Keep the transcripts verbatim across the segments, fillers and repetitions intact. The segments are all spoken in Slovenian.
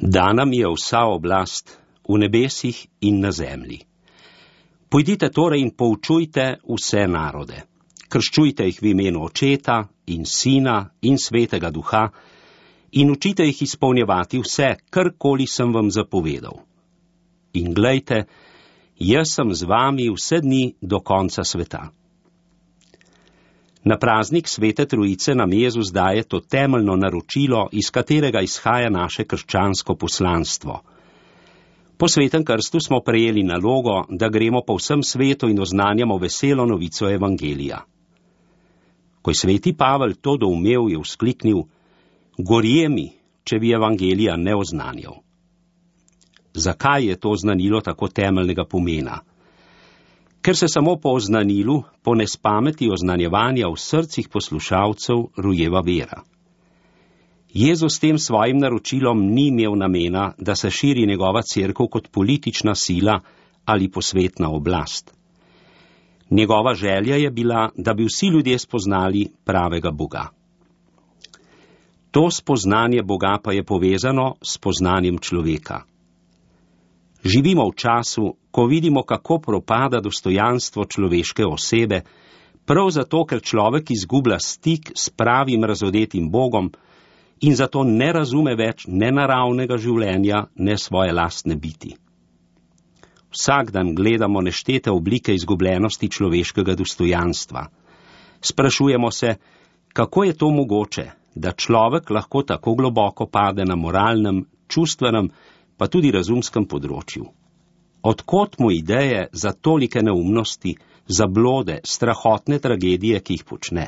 Dana mi je vsa oblast v nebesih in na zemlji. Pojdite torej in poučujte vse narode. Krščujte jih v imenu Očeta in Sina in Svetega Duha in učite jih izpolnjevati vse, karkoli sem vam zapovedal. In glejte, jaz sem z vami vse dni do konca sveta. Na praznik Svete Trojice nam Jezus daje to temeljno naročilo, iz katerega izhaja naše krščansko poslanstvo. Po svetem krstu smo prejeli nalogo, da gremo po vsem svetu in oznanjamo veselo novico evangelija. Ko je sveti Pavel to doumel, je vzkliknil: gorje mi, če bi evangelija ne oznanjal. Zakaj je to oznanilo tako temeljnega pomena? Ker se samo po oznanilu, po nespameti oznanjevanja v srcih poslušalcev rojeva vera. Jezus s tem svojim naročilom ni imel namena, da se širi njegova cerkev kot politična sila ali posvetna oblast. Njegova želja je bila, da bi vsi ljudje spoznali pravega Boga. To spoznanje Boga pa je povezano s poznanjem človeka. Živimo v času, ko vidimo, kako propada dostojanstvo človeške osebe, prav zato, ker človek izgublja stik s pravim razodetim Bogom in zato ne razume več ne naravnega življenja, ne svoje lastne biti. Vsak dan gledamo neštete oblike izgubljenosti človeškega dostojanstva. Sprašujemo se, kako je to mogoče, da človek lahko tako globoko pade na moralnem, čustvenem, pa tudi razumskem področju. Odkot mu ideje za tolike neumnosti, zablode, strahotne tragedije, ki jih počne?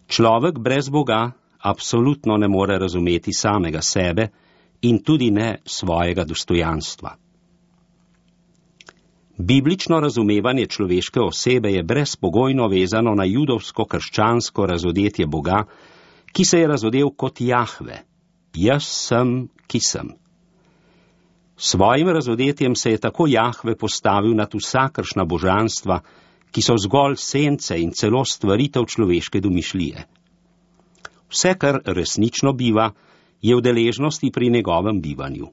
Človek brez Boga absolutno ne more razumeti samega sebe in tudi ne svojega dostojanstva. Biblično razumevanje človeške osebe je brezpogojno vezano na judovsko-krščansko razodetje Boga, ki se je razodel kot Jahve. Jaz sem, ki sem. Svojim razodetjem se je tako Jahve postavil nad vsakršna božanstva, ki so zgolj sence in celo stvaritev človeške domišljije. Vse, kar resnično biva, je v deležnosti pri njegovem bivanju.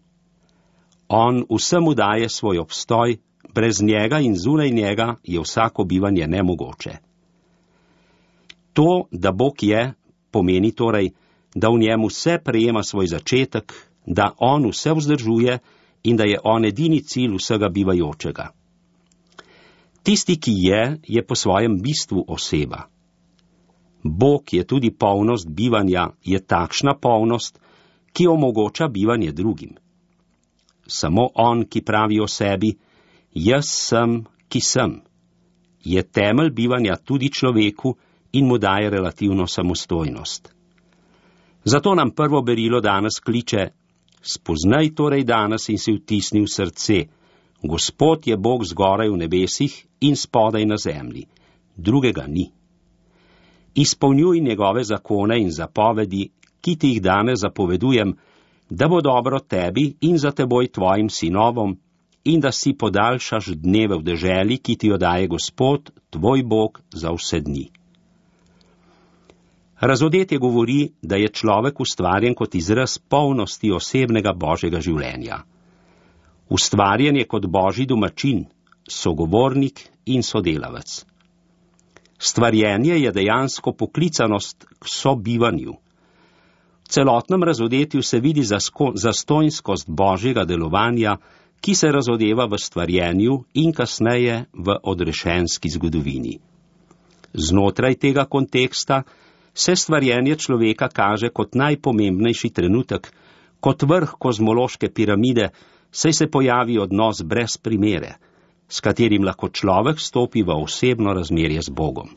On vsemu daje svoj obstoj, brez njega in zunaj njega je vsako bivanje nemogoče. To, da Bog je, pomeni torej, da v njemu vse prejema svoj začetek, da on vse vzdržuje in da je on edini cilj vsega bivajočega. Tisti, ki je, je po svojem bistvu oseba. Bog je tudi polnost bivanja, je takšna polnost, ki omogoča bivanje drugim. Samo on, ki pravi o sebi, jaz sem, ki sem, je temelj bivanja tudi človeku in mu daje relativno samostojnost. Zato nam prvo berilo danes kliče: spoznaj torej danes in si vtisni v srce, Gospod je Bog zgoraj v nebesih in spodaj na zemlji, drugega ni. Izpolnjuj njegove zakone in zapovedi, ki ti jih danes zapovedujem, da bo dobro tebi in za teboj tvojim sinovom, in da si podaljšaš dneve v deželi, ki ti jo daje Gospod, tvoj Bog, za vse dni. Razodetje govori, da je človek ustvarjen kot izraz polnosti osebnega Božjega življenja. Ustvarjen je kot Božji domačin, sogovornik in sodelavec. Stvarjenje je dejansko poklicanost k sobivanju. V celotnem razodetju se vidi zasko, zastojnskost Božjega delovanja, ki se razodeva v stvarjenju in kasneje v odrešenski zgodovini. Znotraj tega konteksta se stvarjenje človeka kaže kot najpomembnejši trenutek, kot vrh kozmološke piramide, saj se pojavi odnos brez primere, s katerim lahko človek stopi v osebno razmerje z Bogom.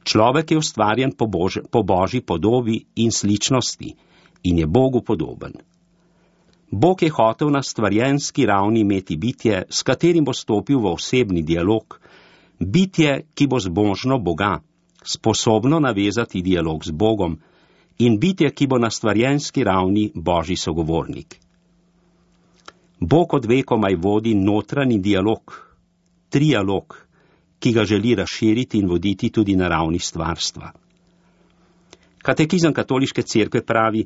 Človek je ustvarjen po, Bož, po Božji podobi in sličnosti in je Bogu podoben. Bog je hotel na stvarjenski ravni imeti bitje, s katerim bo stopil v osebni dialog, bitje, ki bo zbožno Boga, sposobno navezati dialog z Bogom, in bitje, ki bo na stvarjenski ravni Božji sogovornik. Bog od vekomaj vodi notranji dialog, trialog, ki ga želi razširiti in voditi tudi na ravni stvarstva. Katekizem katoliške cerkve pravi: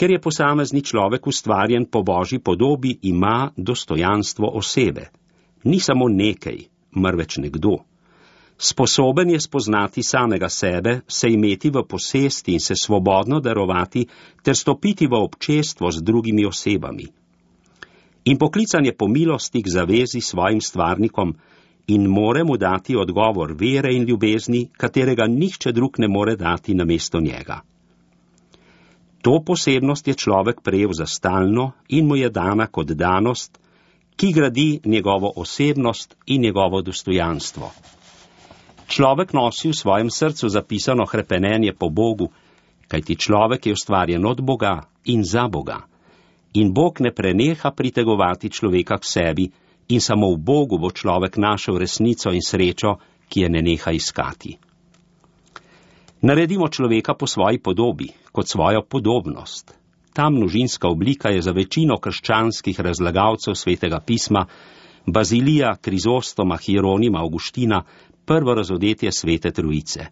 Ker je posamezni človek ustvarjen po Božji podobi, ima dostojanstvo osebe. Ni samo nekaj, marveč nekdo. Sposoben je spoznati samega sebe, se imeti v posesti in se svobodno darovati ter stopiti v občestvo z drugimi osebami. In poklican je po milosti k zavezi s svojim stvarnikom in more mu dati odgovor vere in ljubezni, katerega nihče drug ne more dati namesto njega. To posebnost je človek prejel za stalno in mu je dana kot danost, ki gradi njegovo osebnost in njegovo dostojanstvo. Človek nosi v svojem srcu zapisano hrepenenje po Bogu, kajti človek je ustvarjen od Boga in za Boga. In Bog ne preneha pritegovati človeka k sebi in samo v Bogu bo človek našel resnico in srečo, ki je ne neha iskati. Naredimo človeka po svoji podobi, kot svojo podobnost. Ta množinska oblika je za večino krščanskih razlagalcev svetega pisma, Bazilija, Krizostoma, Hieronima, Avguština, prvo razodetje svete trojice.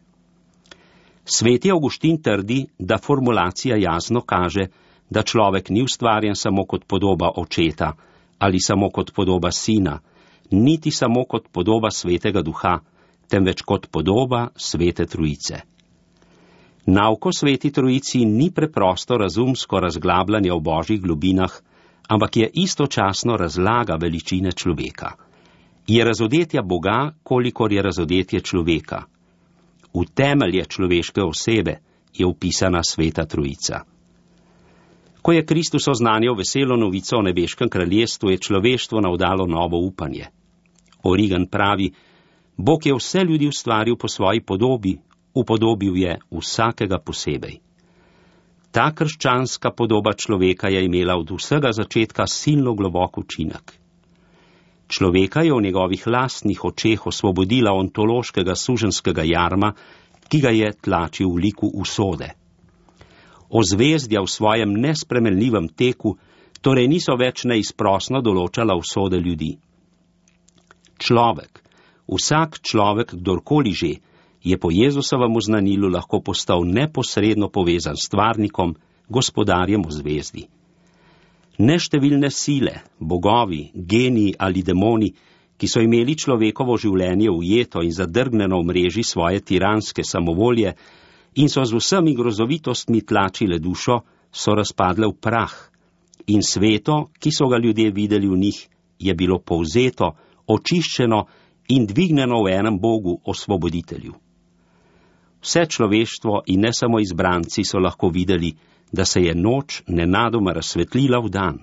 Sveti Avguštin trdi, da formulacija jasno kaže, da človek ni ustvarjen samo kot podoba očeta ali samo kot podoba sina, niti samo kot podoba svetega duha, temveč kot podoba svete trojice. Nauko sveti trojici ni preprosto razumsko razglabljanje o božjih globinah, ampak je istočasno razlaga veličine človeka. Je razodetja Boga, kolikor je razodetje človeka. V temelje človeške osebe je upisana sveta trojica. Ko je Kristus oznanjal veselo novico o nebeškem kraljestvu, je človeštvo navdalo novo upanje. Origen pravi, Bog je vse ljudi ustvaril po svoji podobi, upodobil je vsakega posebej. Ta krščanska podoba človeka je imela od vsega začetka silno globok učinek. Človeka je v njegovih lastnih očeh osvobodila ontološkega suženskega jarma, ki ga je tlačil v liku usode. Ozvezdja v svojem nespremenljivem teku torej niso več neizprosno določala usode ljudi. Človek, vsak človek, kdorkoli že, je po Jezusovem oznanilu lahko postal neposredno povezan s stvarnikom, gospodarjem v zvezdi. Neštevilne sile, bogovi, geniji ali demoni, ki so imeli človekovo življenje ujeto in zadrgneno v mreži svoje tiranske samovolje in so z vsemi grozovitostmi tlačile dušo, so razpadle v prah in sveto, ki so ga ljudje videli v njih, je bilo povzeto, očiščeno in dvigneno v enem Bogu, osvoboditelju. Vse človeštvo in ne samo izbranci so lahko videli, da se je noč nenadoma razsvetlila v dan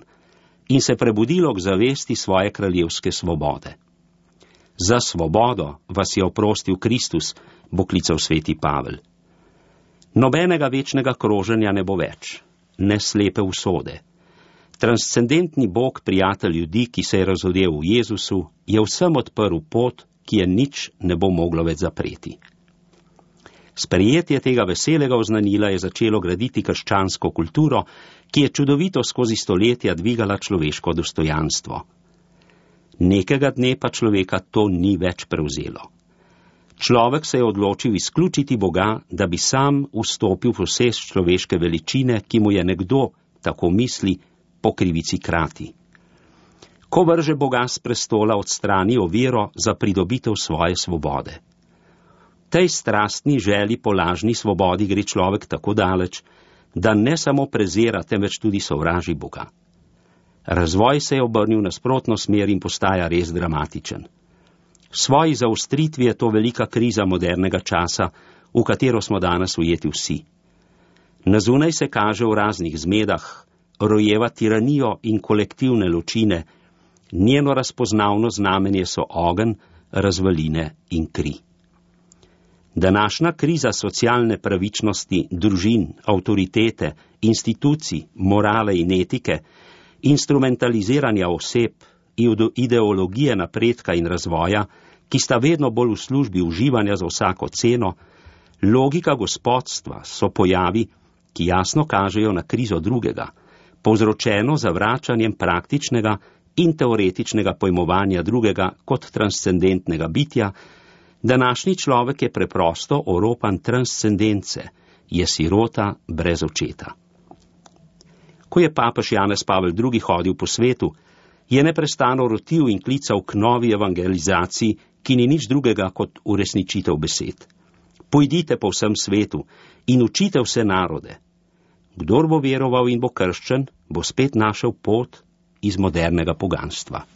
in se prebudilo k zavesti svoje kraljevske svobode. Za svobodo vas je oprostil Kristus, bo klical sveti Pavel. Nobenega večnega kroženja ne bo več, ne slepe usode. Transcendentni Bog, prijatelj ljudi, ki se je razodel v Jezusu, je vsem odprl pot, ki je nič ne bo moglo več zapreti. Sprejetje tega veselega oznanila je začelo graditi krščansko kulturo, ki je čudovito skozi stoletja dvigala človeško dostojanstvo. Nekega dne pa človeka to ni več prevzelo. Človek se je odločil izključiti Boga, da bi sam vstopil v posest človeške veličine, ki mu je nekdo, tako misli, po krivici krati. Ko vrže Boga s prestola, odstrani oviro za pridobitev svoje svobode. Tej strastni želji po lažni svobodi gre človek tako daleč, da ne samo prezira, temveč tudi sovraži Boga. Razvoj se je obrnil na nasprotno smer in postaja res dramatičen. V svoji zaostritvi je to velika kriza modernega časa, v katero smo danes ujeti vsi. Na zunaj se kaže v raznih zmedah, rojeva tiranijo in kolektivne ločine, njeno razpoznavno znamenje so ogenj, razvaline in kri. Današnja kriza socialne pravičnosti, družin, avtoritete, institucij, morale in etike, instrumentaliziranja oseb, ideologije napredka in razvoja, ki sta vedno bolj v službi uživanja za vsako ceno, logika gospodstva so pojavi, ki jasno kažejo na krizo drugega, povzročeno zavračanjem praktičnega in teoretičnega pojmovanja drugega kot transcendentnega bitja. Današnji človek je preprosto oropan transcendence, je sirota brez očeta. Ko je papež Janez Pavel drugi. hodil po svetu, je neprestano rotil in klical k novi evangelizaciji, ki ni nič drugega kot uresničitev besed. Pojdite po vsem svetu in učite vse narode. Kdor bo veroval in bo krščen, bo spet našel pot iz modernega poganstva.